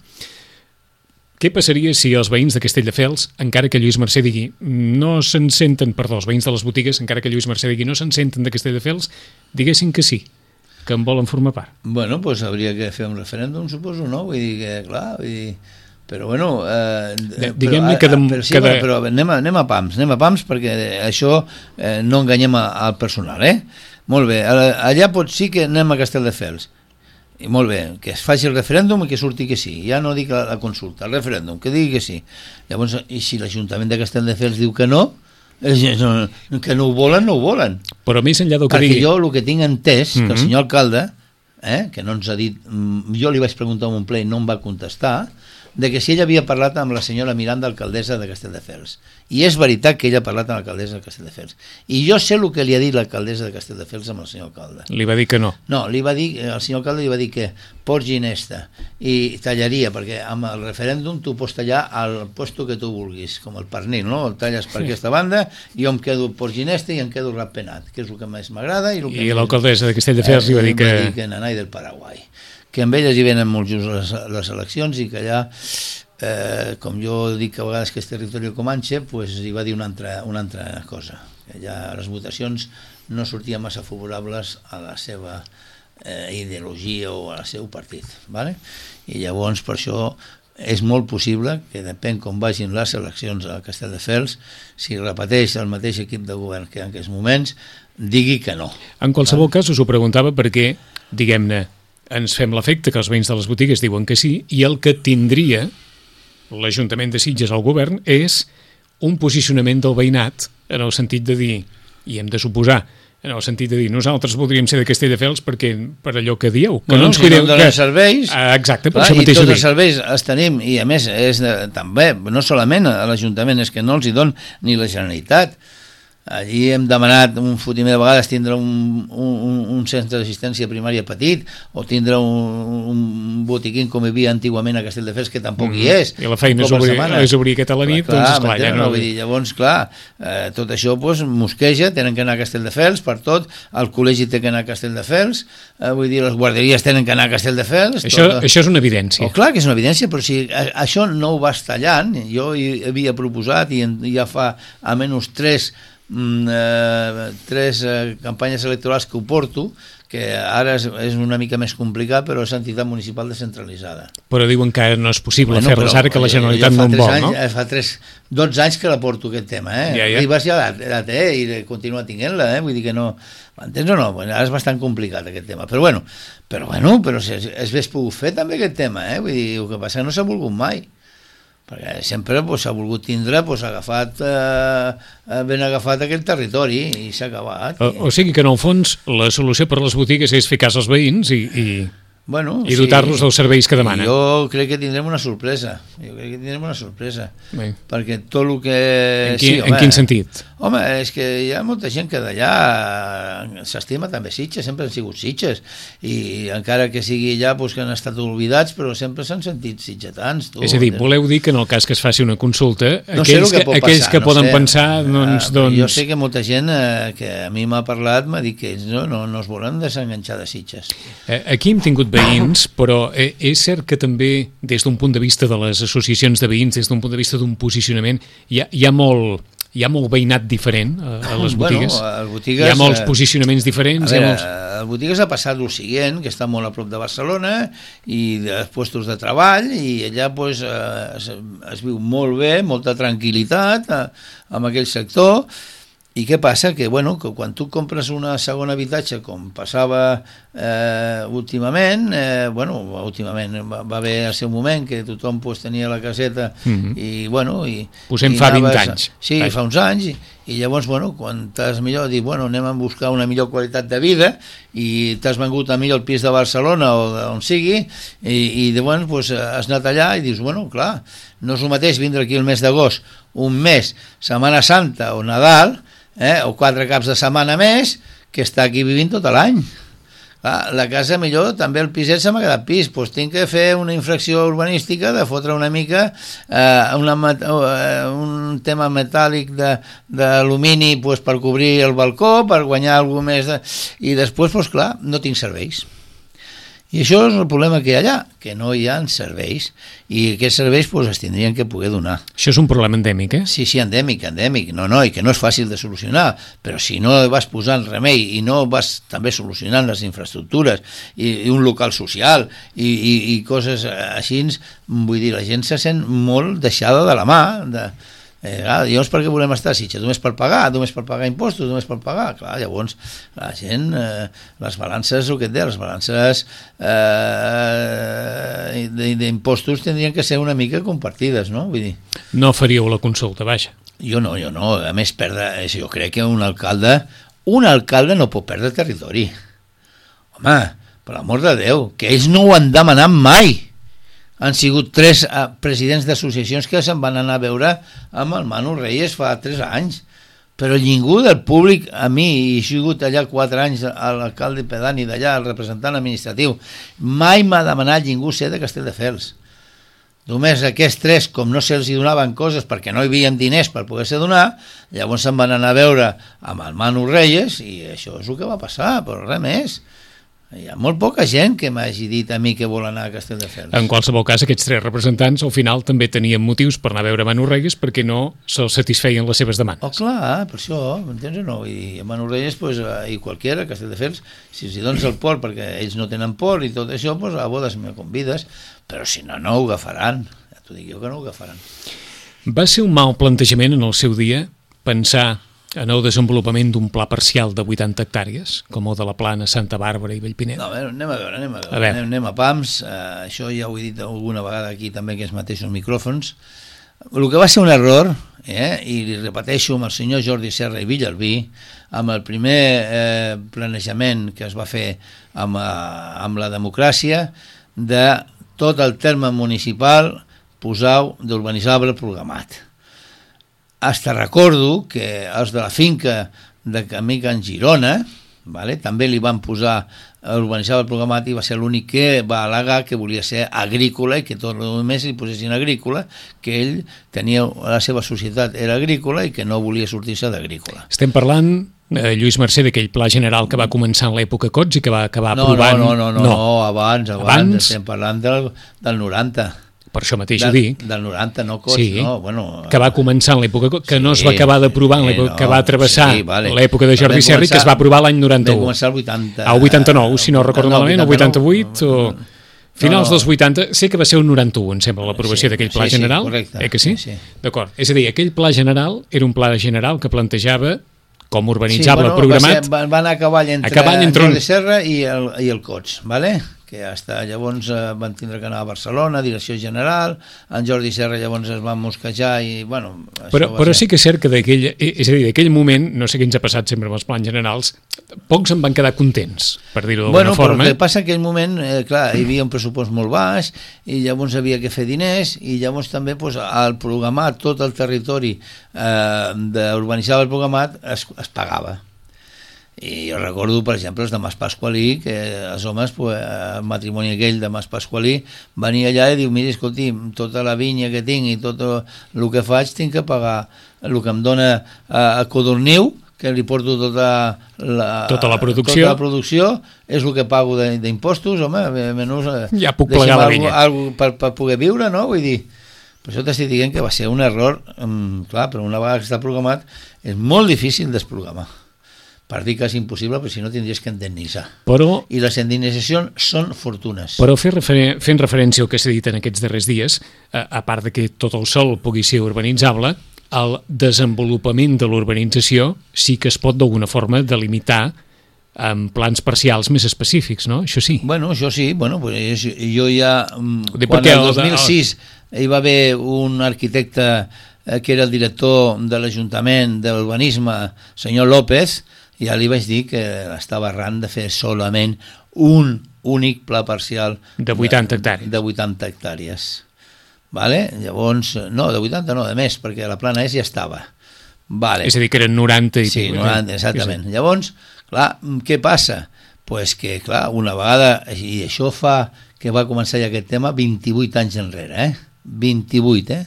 què passaria si els veïns de Castelldefels, encara que Lluís Mercè digui no se'n senten, perdó, els veïns de les botigues, encara que Lluís Mercè digui no se'n senten de Castelldefels, diguessin que sí, que en volen formar part? Bueno, doncs pues hauria que fer un referèndum, suposo, no? Vull dir que, clar, vull dir... Però, bueno... Eh, Diguem-ne que... De, però, sí, que de... però anem a, anem a pams, anem a pams, perquè això eh, no enganyem a, al personal, eh? Molt bé, allà pot sí que anem a Castelldefels. I molt bé, que es faci el referèndum i que surti que sí. Ja no dic la, la consulta, el referèndum, que digui que sí. Llavors, i si l'Ajuntament de Castelldefels diu que no, no, que no ho volen, no ho volen. Però més enllà del que Perquè digui... jo el que tinc entès, mm-hmm. que el senyor alcalde, eh, que no ens ha dit... Jo li vaig preguntar en un ple i no em va contestar, de que si ella havia parlat amb la senyora Miranda, alcaldessa de Castelldefels. I és veritat que ella ha parlat amb l'alcaldessa de Castelldefels. I jo sé el que li ha dit l'alcaldessa de Castelldefels amb el senyor alcalde. Li va dir que no. No, li va dir, el senyor alcalde li va dir que pots ginesta i tallaria, perquè amb el referèndum tu pots tallar al puesto que tu vulguis, com el pernil, no? El talles per sí. aquesta banda, jo em quedo por ginesta i em quedo ratpenat, que és el que més m'agrada. I, I l'alcaldessa de Castelldefels eh, li va dir que... Va dir que nanai del Paraguai. Que amb elles hi venen molt just les, les eleccions i que allà, eh, com jo dic que a vegades que és territori comanche, pues hi va dir una altra, una altra cosa, que allà les votacions no sortien massa favorables a la seva eh, ideologia o al seu partit, ¿vale? I llavors per això és molt possible que depèn com vagin les eleccions a Castelldefels, si repeteix el mateix equip de govern que en aquests moments, digui que no. En qualsevol cas us ho preguntava perquè, diguem-ne, ens fem l'efecte que els veïns de les botigues diuen que sí, i el que tindria l'Ajuntament de Sitges al govern és un posicionament del veïnat en el sentit de dir, i hem de suposar, en el sentit de dir, nosaltres voldríem ser de Castelldefels perquè per allò que dieu, que bueno, no ens si cuideu... no donen que... serveis... Ah, exacte, per clar, això mateix i tots ho els serveis els tenim, i a més és de, també, no solament a l'Ajuntament, és que no els hi don ni la Generalitat. allí hem demanat un fotimer de vegades tindre un, un, un centre d'assistència primària petit o tindre un, un botiquín com hi havia antigament a Castelldefels, que tampoc mm. hi és. I la feina és obrir, és obrir aquesta a la nit, clar, doncs esclar, ja no... Vull dir, llavors, clar, eh, tot això pues, mosqueja, tenen que anar a Castelldefels per tot, el col·legi té que anar a Castelldefels, eh, vull dir, les guarderies tenen que anar a Castelldefels... Això, tot... això és una evidència. Oh, clar que és una evidència, però si a, això no ho vas tallant, jo hi havia proposat i en, ja fa almenys tres Mm, eh, tres eh, campanyes electorals que ho porto, que ara és, és una mica més complicat, però és entitat municipal descentralitzada. Però diuen que no és possible bueno, fer-les ara, que la Generalitat no en vol, anys, no? Fa tres, dotze anys que la porto aquest tema, eh? Ja, ja. Ribas ja la, la té i continua tinguent-la, eh? Vull dir que no... M'entens o no? Bueno, ara és bastant complicat aquest tema, però bueno, però, bueno, però es, es hauria pogut fer també aquest tema, eh? Vull dir, el que passa que no s'ha volgut mai. Perquè sempre s'ha pues, volgut tindre pues, agafat, eh, ben agafat aquest territori i s'ha acabat. O, o sigui que en el fons la solució per les botigues és fer cas als veïns i, i, bueno, i dotar-los sí, dels serveis que demanen. Jo crec que tindrem una sorpresa, jo crec que tindrem una sorpresa, Bé. perquè tot el que... En, qui, sí, home, en quin sentit? Home, és que hi ha molta gent que d'allà s'estima també Sitges, sempre han sigut Sitges, i encara que sigui allà pues, que han estat oblidats, però sempre s'han sentit sitgetans. Tu, és a dir, voleu dir que en el cas que es faci una consulta, no aquells que, que, aquells passar, que no poden sé. pensar, doncs... Uh, doncs... Jo sé que molta gent eh, que a mi m'ha parlat m'ha dit que ells no, no, no es volen desenganxar de Sitges. Aquí hem tingut veïns, però és cert que també, des d'un punt de vista de les associacions de veïns, des d'un punt de vista d'un posicionament, hi ha, hi ha molt... Hi ha molt veïnat diferent a, a les botigues. Bueno, a botigues. Hi ha molts posicionaments diferents. A veure, molts... a botigues ha passat el següent, que està molt a prop de Barcelona i dels puestos de treball, i allà pues, es, es viu molt bé, molta tranquil·litat en aquell sector. I què passa? Que, bueno, que quan tu compres una segona habitatge, com passava eh, últimament, eh, bueno, últimament va, va haver el seu moment que tothom pues, tenia la caseta mm-hmm. i, bueno... I, Posem i fa vint anaves, anys. Sí, Vai. fa uns anys, i, i llavors, bueno, quan t'has millor dit, bueno, anem a buscar una millor qualitat de vida i t'has vengut a millor el pis de Barcelona o d'on sigui, i, i llavors pues, has anat allà i dius, bueno, clar, no és el mateix vindre aquí el mes d'agost, un mes, Setmana Santa o Nadal, Eh, o quatre caps de setmana més, que està aquí vivint tot l'any. La casa millor, també el piset se m'ha quedat pis, doncs tinc que fer una infracció urbanística de fotre una mica eh, una, uh, un tema metàl·lic d'alumini pues, per cobrir el balcó, per guanyar alguna més de... i després, doncs clar, no tinc serveis. I això és el problema que hi ha allà, que no hi ha serveis, i aquests serveis pues, es tindrien que poder donar. Això és un problema endèmic, eh? Sí, sí, endèmic, endèmic, no, no, i que no és fàcil de solucionar, però si no vas posant remei i no vas també solucionant les infraestructures i, i un local social i, i, i coses així, vull dir, la gent se sent molt deixada de la mà, de... Eh, clar, llavors per què volem estar a Sitges? Només per pagar, només per pagar impostos, només per pagar, clar, llavors la gent, eh, les balances, el que et deia, les balances eh, d'impostos tindrien que ser una mica compartides, no? Vull dir... No faríeu la consulta, vaja. Jo no, jo no, a més perdre, jo crec que un alcalde, un alcalde no pot perdre territori. Home, per l'amor de Déu, que ells no ho han demanat mai. Han sigut tres uh, presidents d'associacions que se'n van anar a veure amb el Manu Reyes fa tres anys, però ningú del públic, a mi, i he sigut allà quatre anys a l'alcalde pedani d'allà, el representant administratiu, mai m'ha demanat ningú ser de Castelldefels. Només aquests tres, com no se'ls donaven coses perquè no hi havia diners per poder-se donar, llavors se'n van anar a veure amb el Manu Reyes i això és el que va passar, però res més. Hi ha molt poca gent que m'hagi dit a mi que vol anar a Castelldefels. En qualsevol cas, aquests tres representants al final també tenien motius per anar a veure Manu Reyes perquè no se'ls satisfeien les seves demandes. Oh, clar, per això, m'entens o no? I a Manu Reyes, pues, i qualquiera, a Castelldefels, si els dones el port perquè ells no tenen port i tot això, pues, a bodes me convides, però si no, no ho agafaran. Ja t'ho dic jo que no ho agafaran. Va ser un mal plantejament en el seu dia pensar en el desenvolupament d'un pla parcial de vuitanta hectàrees, com el de la Plana, Santa Bàrbara i Bellpinet? No, a veure, anem a veure, anem a veure, a veure. Anem, anem a pams, eh, això ja ho he dit alguna vegada aquí també, que els mateixos micròfons. El que va ser un error, eh, i li repeteixo amb el senyor Jordi Serra i Villalbí, amb el primer eh, planejament que es va fer amb, eh, amb la democràcia, de tot el terme municipal posar d'urbanitzable programat. hasta recordo que els de la finca de Camí Can Girona, vale, també li van posar urbanitzar el programat i va ser l'únic que va al·legar que volia ser agrícola i que tot el més li posessin agrícola, que ell tenia, la seva societat era agrícola i que no volia sortir-se d'agrícola. Estem parlant, eh, Lluís Mercè, d'aquell pla general que va començar en l'època Cots i que va acabar no, aprovant... No, no, no, no, no, abans, abans, abans, estem parlant del, del noranta. Per això mateix del, ho dic. Del noranta, no Cots, sí, no, bueno... que va començar en l'època Cots, que sí, no es va acabar d'aprovar en l'època, sí, no, que va travessar sí, vale. l'època de Jordi Serra i que es va aprovar l'any noranta-u. Va començar el vuitanta... Al vuitanta-nou, si no recordo no, malament, el vuitanta-vuit o... Finals no, no. dels vuitanta, sé que va ser un noranta-u, em sembla, l'aprovació sí, d'aquell pla sí, general. Sí, correcte. Eh que sí? sí, sí. D'acord. És a dir, aquell pla general era un pla general que plantejava com urbanitzable sí, bueno, programat... Va ser, van anar a cavall entre, a cavall entre Jordi Serra i el, i el Cots, ¿vale? Que hasta llavors eh, van tindre que anar a Barcelona, direcció general, en Jordi Serra llavors es va mosquejar i, bueno... Però, però ser... sí que és cert que d'aquell, és a dir, d'aquell moment, no sé què ens ha passat sempre amb els plans generals, pocs en van quedar contents, per dir-ho d'alguna bueno, forma. Bueno, però el que passa en aquell moment, eh, clar, hi havia un pressupost molt baix i llavors havia que fer diners i llavors també pues, al programat tot el territori eh, d'urbanitzar el programat es, es pagava. I jo recordo, per exemple, els de Mas Pasqualí, que els homes, pues, el matrimoni aquell de Mas Pasqualí, venia allà i diu, mira, escolti, tota la vinya que tinc i tot el que faig tinc que pagar el que em dona a, a Codorniu, que li porto tota la, tota la producció, tota la producció és el que pago d'impostos, home, menys, ja puc plegar la vinya. Algo per, per poder viure, no? Vull dir, per això t'estic dient que va ser un error, um, clar, però una vegada que està programat és molt difícil desprogramar. Per dir que és impossible, però si no tindries que indemnitzar. Però, I les indemnitzacions són fortunes. Però fer refer fent referència al que s'ha dit en aquests darrers dies, a, a part de que tot el sòl pugui ser urbanitzable, el desenvolupament de l'urbanització sí que es pot d'alguna forma delimitar amb plans parcials més específics, no? Això sí. Bueno, això sí. Bueno, pues jo ja... Dic quan el dos mil el... sis hi va haver un arquitecte eh, que era el director de l'Ajuntament d'Urbanisme, senyor López, ja li vaig dir que estava arran de fer solament un únic pla parcial de vuitanta hectàrees. De vuitanta hectàrees. Vale? Llavors, no, de vuitanta no, de més, perquè la plana S ja estava. Vale. És a dir, que eren noranta i... Sí, noranta, exactament. Sí, sí. Llavors, clar, què passa? Pues que, clar, una vegada, i això fa que va començar ja aquest tema vint-i-vuit anys enrere, eh? vint-i-vuit, eh?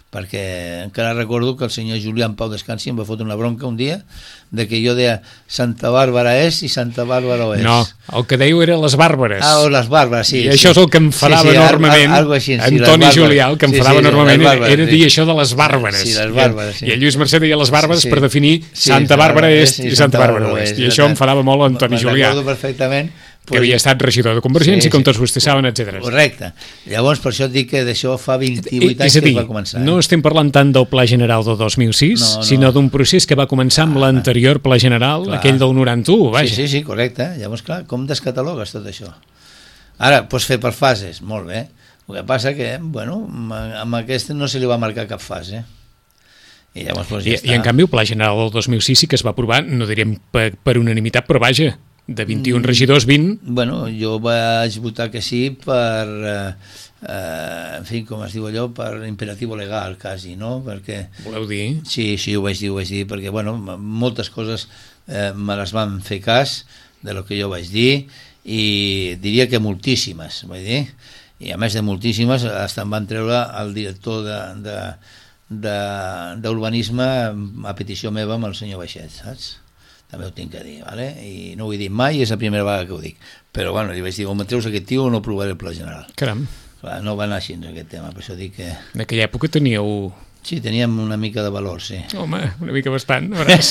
Perquè encara recordo que el senyor Julián Pau Descansi em va fotre una bronca un dia de que jo deia Santa Bàrbara és i Santa Bàrbara és. No, el que dèieu era les Bàrbares. Ah, o les Bàrbares, sí. I això és el que em farava sí, sí, enormement, al, així, sí, Antoni Julià, el que em sí, farava sí, enormement era, era dir sí. això de les Bàrbares. Sí, les Bàrbares, sí. I el Lluís Mercè deia les Bàrbares sí, sí. per definir sí, Santa Bàrbara és i Santa Bàrbara oest. I això em farava molt Antoni Julià. Recordo perfectament. Que havia estat regidor de Convergència, sí, com tots vostès saben, etcètera. Correcte. Llavors, per això et dic que d'això fa vint-i-vuit anys que va començar. No estem parlant tant del Pla General del dos mil sis, no, no. sinó d'un procés que va començar amb ah, l'anterior Pla General, clar. aquell del noranta-u, vaja. Sí, sí, sí, correcte. Llavors, clar, com descatalogues tot això? Ara, pots fer per fases, molt bé. El que passa que, bueno, amb aquest no se li va marcar cap fase. I, llavors, doncs, ja I, i en canvi, el Pla General del dos mil sis sí que es va aprovar, no diríem per, per unanimitat, però vaja, de vint-i-un regidors, vint... Bueno, jo vaig votar que sí per, eh, eh, en fi, com es diu allò, per imperatiu legal, quasi, no? Perquè... Voleu dir? Sí, sí, ho vaig dir, ho vaig dir, perquè, bueno, moltes coses eh, me les van fer cas de lo que jo vaig dir, i diria que moltíssimes, vaig dir, i a més de moltíssimes, fins em van treure el director de... de d'urbanisme a petició meva amb el senyor Baixet, saps? També ho tinc que dir, ¿vale? I no ho he dit mai, és la primera vegada que ho dic, però bueno, li vaig dir, o me treus aquest tio o no provaré el pla general. Caram. Clar, no va anar així aquest tema, per això dic que... En aquella època teníeu... Sí, teníem una mica de valor, sí. Home, una mica bastant, veuràs,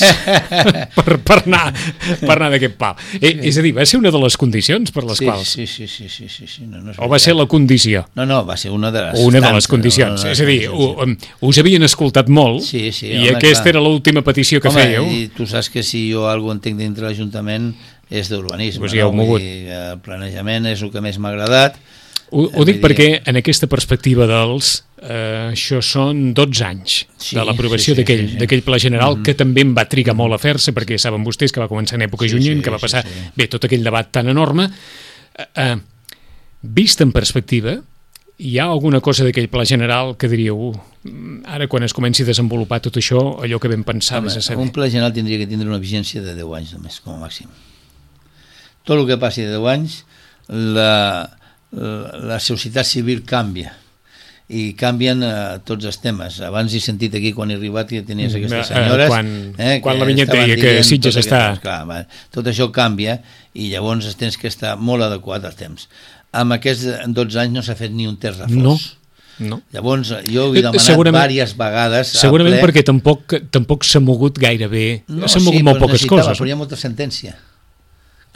per, per anar, per anar d'aquest pal. Eh, sí. És a dir, va ser una de les condicions per les sí, quals... Sí, sí, sí, sí, sí, sí. No, no o va ser la condició? No, no, va ser una de les... Una de les condicions, no, no, és a dir, sí. us havien escoltat molt sí, sí, i home, aquesta clar. era l'última petició que home, fèieu. I tu saps que si jo alguna entenc dintre l'Ajuntament és d'urbanisme, pues ja no? El planejament és el que més m'ha agradat. Ho, ho dic perquè en aquesta perspectiva dels eh, això són dotze anys sí, de l'aprovació sí, sí, d'aquell sí, sí. pla general mm-hmm. que també em va trigar molt a fer-se perquè saben vostès que va començar en època sí, junyent, sí, que va passar sí, sí. bé tot aquell debat tan enorme eh, eh, vist en perspectiva hi ha alguna cosa d'aquell pla general que diríeu, ara quan es comenci a desenvolupar tot això, allò que vam pensar Home, més a saber? un pla general tindria que tindre una vigència de deu anys només, com a màxim. Tot el que passi de deu anys, la, la, la societat civil canvia i canvien uh, tots els temes. Abans he sentit aquí, quan he arribat, que tenies aquestes senyores... Uh, quan eh, quan la vinyeta deia que Sitges està... Aquest, clar, va, tot això canvia i llavors tens que estar molt adequat al temps. Amb aquests dotze anys no s'ha fet ni un terç refós. No, no. Llavors, jo ho he demanat segurament, diverses vegades... Segurament ple, perquè tampoc, tampoc s'ha mogut gaire bé. No, s'ha mogut sí, molt poques coses. Però hi ha molta sentència.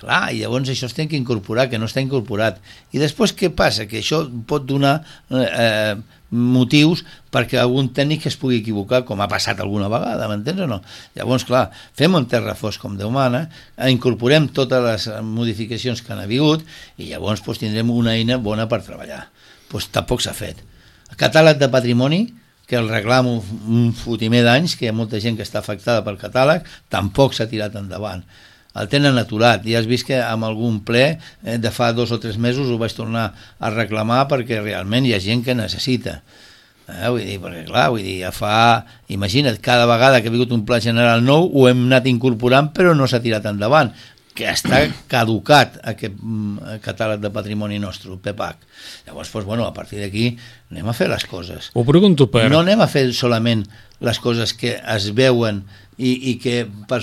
Clar, i llavors això es té que incorporar, que no està incorporat. I després què passa? Que això pot donar eh, motius perquè algun tècnic es pugui equivocar, com ha passat alguna vegada, m'entens o no? Llavors, clar, fem un terra fos com Déu mana, incorporem totes les modificacions que han hagut i llavors doncs, tindrem una eina bona per treballar. Doncs tampoc s'ha fet. El catàleg de patrimoni, que el reclamo un fotimer d'anys, que hi ha molta gent que està afectada pel catàleg, tampoc s'ha tirat endavant. El tenen aturat, ja has vist que amb algun ple eh, de fa dos o tres mesos ho vaig tornar a reclamar perquè realment hi ha gent que necessita. Eh, vull dir, perquè clar, vull dir, ja fa... Imagina't, cada vegada que ha vingut un pla general nou ho hem anat incorporant però no s'ha tirat endavant, que està caducat aquest mm, catàleg de patrimoni nostre, el P E P A C. Llavors, doncs, bueno, a partir d'aquí anem a fer les coses. Ho pregunto per... No anem a fer solament les coses que es veuen i, i que per,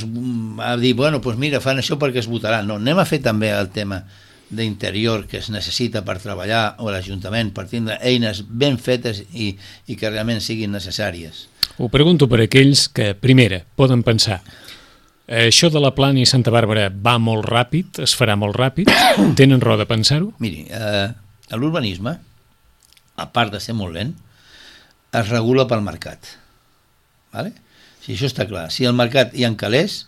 a dir, bueno, doncs mira, fan això perquè es votaran. No, anem a fer també el tema d'interior que es necessita per treballar o l'Ajuntament, per tindre eines ben fetes i, i que realment siguin necessàries. Ho pregunto per aquells que, primera, poden pensar això de la Plana i Santa Bàrbara va molt ràpid, es farà molt ràpid, tenen raó de pensar-ho? Miri, eh, l'urbanisme, a part de ser molt lent, es regula pel mercat. Vale? Si això està clar, si el mercat hi encalés,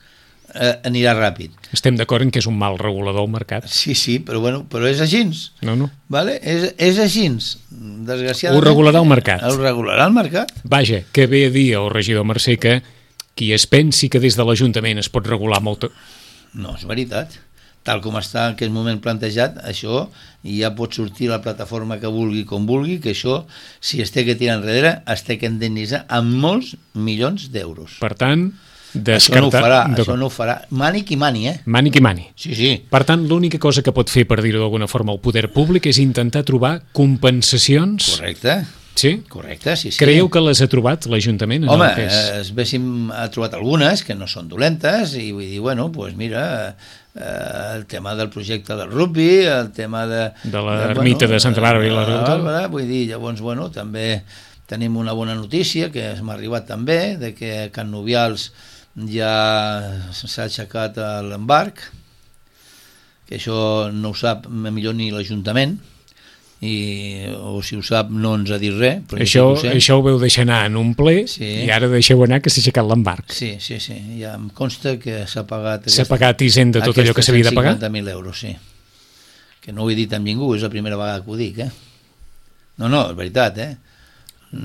eh, anirà ràpid. Estem d'acord en que és un mal regulador el mercat? Sí, sí, però, bueno, però és així. No, no. Vale? És, és així. Desgraciadament... Ho regularà el mercat. Ho regularà el mercat. Vaja, que ve a dir el regidor Mercè que qui es pensi que des de l'Ajuntament es pot regular molt... No, és veritat. Tal com està en aquest moment plantejat, això ja pot sortir la plataforma que vulgui com vulgui, que això, si es té que tirar enrere, es té que indemnitzar amb molts milions d'euros. Per tant, descartar... Això no ho farà, això no ho farà. Mani qui mani, eh? Mani qui mani. Sí, sí. Per tant, l'única cosa que pot fer, per dir-ho d'alguna forma, el poder públic és intentar trobar compensacions... Correcte. Sí? Correcte, sí, sí. Creieu que les ha trobat l'Ajuntament? Home, que és... es véssim, ha trobat algunes que no són dolentes i vull dir, bueno, doncs mira, eh, el tema del projecte del rugby, el tema de... De l'ermita de, bueno, de Santa Bàrbara i la Bàrbara, vull dir, llavors, bueno, també tenim una bona notícia que m'ha arribat també, de que a Can Nubials ja s'ha aixecat l'embarc, que això no ho sap millor ni l'Ajuntament, i, o si ho sap no ens ha dit res, però això, ho sé. Això ho veu deixar anar en un ple, sí. I ara deixeu anar que s'ha aixecat l'embarc. Sí, sí, sí, ja em consta que s'ha pagat s'ha pagat Hisenda tot allò que s'havia de pagar? cent cinquanta mil euros, sí, que no ho he dit amb ningú, és la primera vegada que ho dic, eh? No, no, és veritat, eh?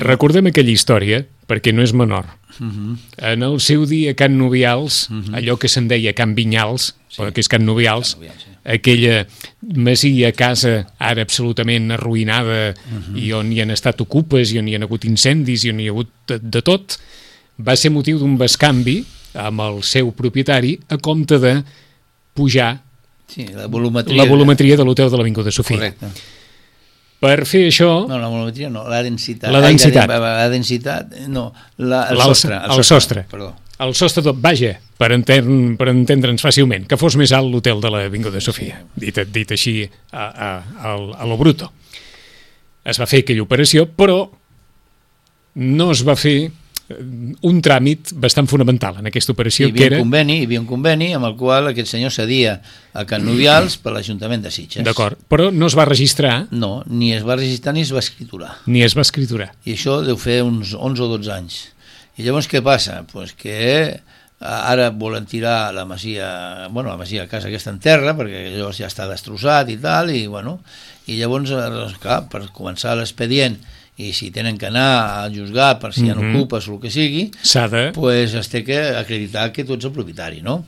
Recordem aquella història, perquè no és menor. Uh -huh. En el seu dia Can Nubials, uh -huh. allò que se'n deia Can Vinyals, sí. Però que és Can Nubials, Can Nubials sí. Aquella masia, casa ara absolutament arruïnada, uh -huh. i on hi han estat ocupes, i on hi han hagut incendis, i on hi ha hagut de, de tot, va ser motiu d'un bescanvi amb el seu propietari a compte de pujar sí, la volumetria, la volumetria de l'hotel de l'Avinguda Sofia. Correcte. Per fer això... No, la volumetria no, la densitat. La densitat. Ai, la, la densitat, no, la, el, sostre, el, el sostre. sostre. Perdó. El sostre tot, vaja, per, enten, per entendre'ns fàcilment, que fos més alt l'hotel de l'Avinguda Sofia, dit, dit així a, a, a, a lo bruto. Es va fer aquella operació, però no es va fer un tràmit bastant fonamental en aquesta operació. Hi havia, que era... un conveni, hi havia un conveni amb el qual aquest senyor cedia a Can Nubials per l'Ajuntament de Sitges. D'acord, però no es va registrar... No, ni es va registrar ni es va escriturar. Ni es va escriturar. I això deu fer uns onze o dotze anys. I llavors què passa? Pues que ara volen tirar la masia, bueno, la masia a casa aquesta en terra, perquè llavors ja està destrossat i tal, i bueno, i llavors, clar, per començar l'expedient, i si tenen que anar a juzgar per si mm-hmm. hi ha ocupes o el que sigui, s'ha de... pues es té que acreditar que tu ets el propietari, no?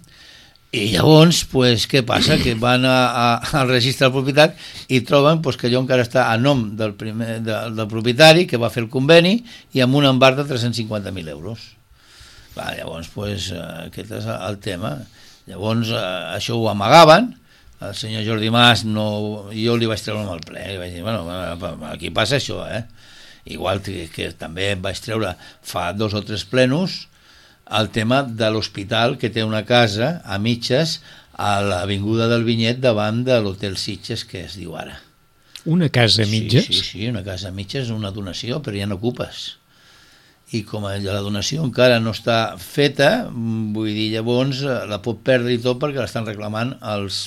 I llavors, pues, què passa? Que van a, a, al registre de propietat i troben pues, que allò encara està a nom del, primer, de, del propietari, que va fer el conveni, i amb un embarg de tres-cents cinquanta mil euros. Clar, llavors, pues, aquest és el tema. Llavors, això ho amagaven, el senyor Jordi Mas, no, jo li vaig treure amb el ple, i vaig dir, bueno, aquí passa això, eh? Igual que, que també vaig treure fa dos o tres plenos el tema de l'hospital, que té una casa a mitges a l'avinguda del Vinyet davant de l'Hotel Sitges, que es diu ara. Una casa a mitges? Sí, sí, sí, una casa a mitges, una donació, però ja no ocupes. I com la donació encara no està feta, vull dir, llavors la pot perdre i tot perquè l'estan reclamant els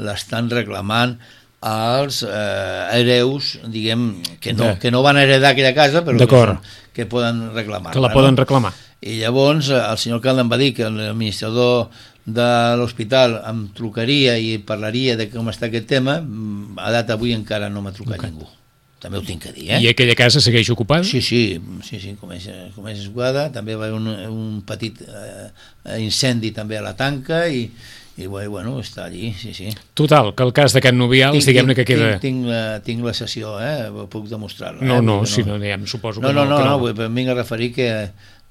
l'estan reclamant els eh, hereus, diguem, que no, que no van heredar aquella casa, però que, que poden reclamar. Que la poden no? reclamar. I llavors el senyor alcalde em va dir que l'administrador de l'hospital em trucaria i parlaria de com està aquest tema. A data avui encara no m'ha trucat okay. ningú. També ho tinc que dir, eh? I aquella casa segueix ocupada? Sí, sí, sí, sí com, és, com és ocupada. També va haver un, un petit eh, incendi també a la tanca i, i bueno, està allí, sí, sí. Total, que el cas de Can Nubials, diguem-ne que queda... Tinc, tinc, la, tinc la sessió, eh? Puc demostrar-la. No, eh? no, no, si no, ja em suposo no, que no. No, no, que no, no, no, em vinc a referir que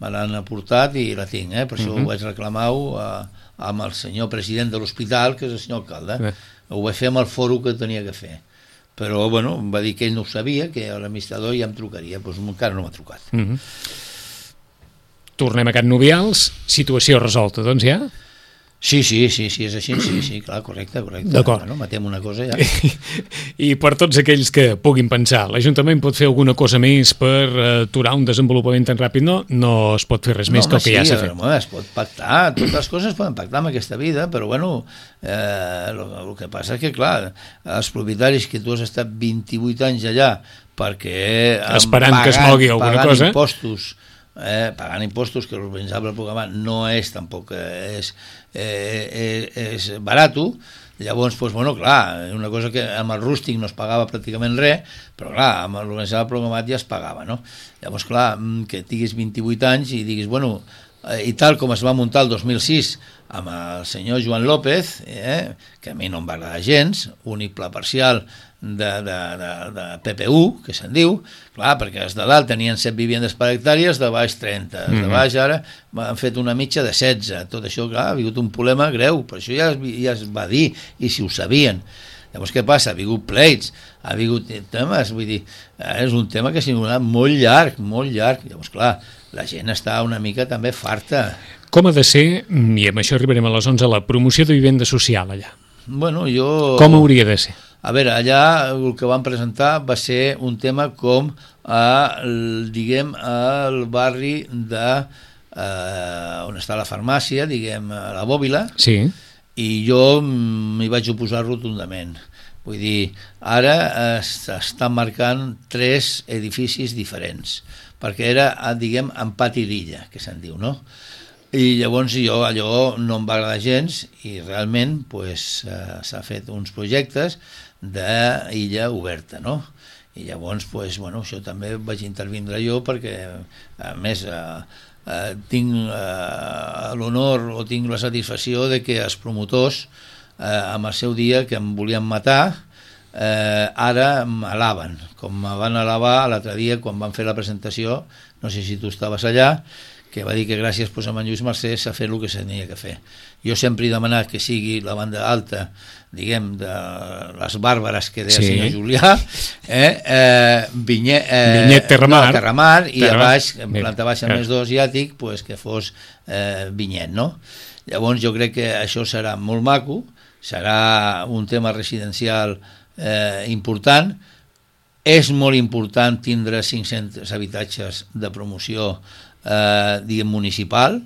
me l'han aportat i la tinc, eh? Per això uh -huh. ho vaig reclamar a, amb el senyor president de l'hospital, que és el senyor alcalde. Eh. Ho vaig fer amb el foro que tenia que fer. Però, bueno, em va dir que ell no ho sabia, que l'administrador ja em trucaria, doncs encara no m'ha trucat. Uh -huh. Tornem a Can Nubials, situació resolta, doncs ja? Sí, sí, sí, sí, és així, sí, sí, clar, correcte, correcte. D'acord. Bueno, matem una cosa ja. I, I per tots aquells que puguin pensar, l'Ajuntament pot fer alguna cosa més per aturar un desenvolupament tan ràpid? No, no es pot fer res més no, que el que sí, ja s'ha fet. No, es pot pactar, totes les coses es poden pactar en aquesta vida, però bueno, eh, el que passa és que, clar, els propietaris que tu has estat vint-i-vuit anys allà perquè... Esperant pagant, que es mogui alguna pagant cosa... impostos, eh, pagant impostos, que l'urbanitzable programa no és tampoc és, eh, és, és barato. Llavors, doncs, bueno, clar, una cosa que amb el rústic no es pagava pràcticament res, però clar, amb l'urbanitzable programat ja es pagava, no? Llavors, clar, que tinguis vint-i-vuit anys i diguis, bueno, i tal com es va muntar el dos mil sis amb el senyor Joan López, eh, que a mi no em va agradar gens, únic pla parcial de, de, de, de P P U, que se'n diu, clar, perquè els de dalt tenien set vivendes per hectàrees, de baix trenta, els de baix ara han fet una mitja de setze, tot això, clar, ha vingut un problema greu, per això ja, ja es va dir, i si ho sabien. Llavors què passa? Ha vingut pleits, ha vingut temes, vull dir, és un tema que s'ha donat molt llarg, molt llarg, llavors clar, la gent està una mica també farta. Com ha de ser, i amb això arribarem a les onze, la promoció de vivenda social allà? Bueno, jo... Com hauria de ser? A veure, allà el que van presentar va ser un tema com, a, diguem, al barri de... Eh, on està la farmàcia, diguem, a la Bòbila, sí. I jo m'hi vaig oposar rotundament. Vull dir, ara s'estan marcant tres edificis diferents, perquè era, diguem, en pati d'illa, que se'n diu, no? I llavors jo allò no em va agradar gens i realment pues, eh, s'ha fet uns projectes d'illa oberta, no? I llavors, pues, bueno, això també vaig intervindre jo perquè, a més, eh, eh, tinc eh, l'honor o tinc la satisfacció de que els promotors, eh, amb el seu dia que em volien matar, eh, ara m'alaben, com me van alabar l'altre dia quan van fer la presentació, no sé si tu estaves allà, que va dir que gràcies pues, a en Lluís Mercè s'ha fet el que s'havia que fer. Jo sempre he demanat que sigui la banda alta, diguem, de les bàrbares que deia sí. El senyor Julià, eh, eh, Vinyet, eh, Vinyet Terramar, no, Terramar i Terramar. A baix, en planta baixa més dos asiàtic, pues, que fos eh, Vinyet, no? Llavors jo crec que això serà molt maco, serà un tema residencial eh, important. És molt important tindre cinc-cents habitatges de promoció Eh, diguem municipal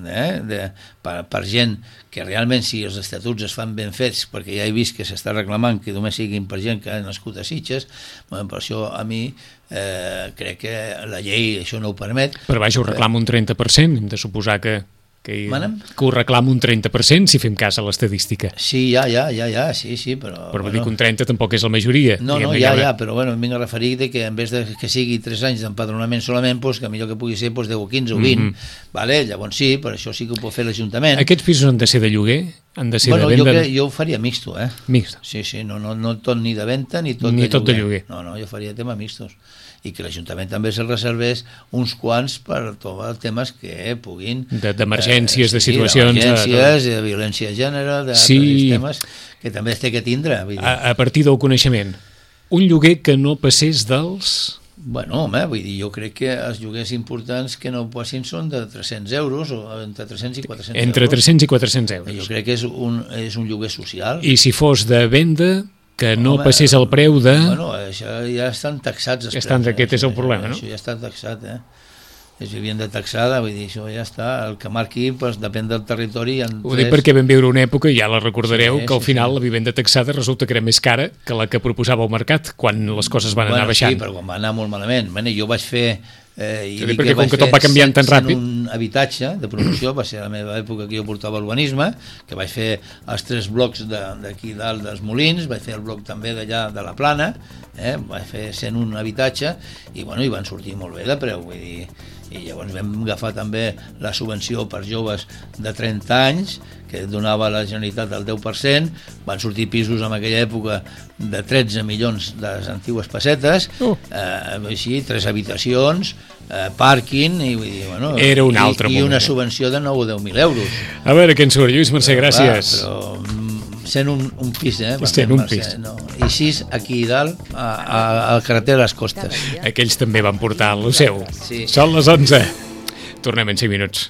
eh, de, per, per gent que realment si els estatuts es fan ben fets, perquè ja he vist que s'està reclamant que només siguin per gent que ha nascut a Sitges, bueno, per això a mi eh, crec que la llei això no ho permet. Però vaja, ho reclama un trenta per cent, hem de suposar que que, que ho reclama un trenta per cent si fem cas a l'estadística. Sí, ja, ja, ja, ja, sí, sí, però... Però bueno, dir que un trenta tampoc és la majoria. No, no, ja, ja, però bueno, em vinc a referir de que en vez de que sigui tres anys d'empadronament solament, pues, que millor que pugui ser pues, deu o quinze o vint, mm -hmm. vale? Llavors sí, per això sí que ho pot fer l'Ajuntament. Aquests pisos han de ser de lloguer han de ser bueno, de venda? Jo, crec, jo ho faria mixto, eh? Mixto. Sí, sí, no, no, no tot ni de venda ni tot, ni de, tot lloguer. de lloguer. No, no, jo faria tema mixtos. I que l'Ajuntament també se'l reservés uns quants per tots temes que puguin... D'emergències, de, de, eh, sí, situacions... D'emergències, de, de violència de gènere, de sí. temes que també es té que tindre. Vull dir. A, a partir del coneixement, un lloguer que no passés dels... Bueno, home, vull dir, jo crec que els lloguers importants que no passin són de tres-cents euros, o entre tres-cents i quatre-cents euros. Entre tres-cents i quatre-cents euros. Jo crec que és un, és un lloguer social. I si fos de venda... que no Home, passés el preu de... Bueno, això ja estan taxats els estan, preus. Aquest eh? és el problema, no? Això ja està taxat, eh? És vivenda taxada, vull dir, això ja està. El que marqui, doncs, depèn del territori. Ho dic perquè vam viure una època, i ja la recordareu, sí, que al sí, final sí. la vivenda taxada resulta que era més cara que la que proposava el mercat, quan les coses van bueno, anar baixant. Sí, però quan va anar molt malament. Bueno, jo vaig fer... Eh, i sí, perquè com que tot va canviant tan ràpid... un habitatge de promoció, va ser la meva època que jo portava urbanisme, que vaig fer els tres blocs d'aquí dalt dels Molins, vaig fer el bloc també d'allà de la Plana, eh, vaig fer cent un habitatge, i bueno, i van sortir molt bé de preu, vull dir, i llavors vam agafar també la subvenció per joves de trenta anys, que donava la Generalitat el deu per cent, van sortir pisos en aquella època de tretze milions de les antigues pessetes, uh. eh, així, tres habitacions, eh, pàrquing, i, vull dir, bueno, era un altre i, i una moment. subvenció de nou o deu mil euros. A veure què en surt, Lluís Mercè, gràcies. Clar, però sent un, un pis, eh? Sent un pis. No. I sis aquí dalt, a, a, a la carretera de les Costes. Aquells també van portar el seu. Sí. Són les onze. Tornem en cinc minuts.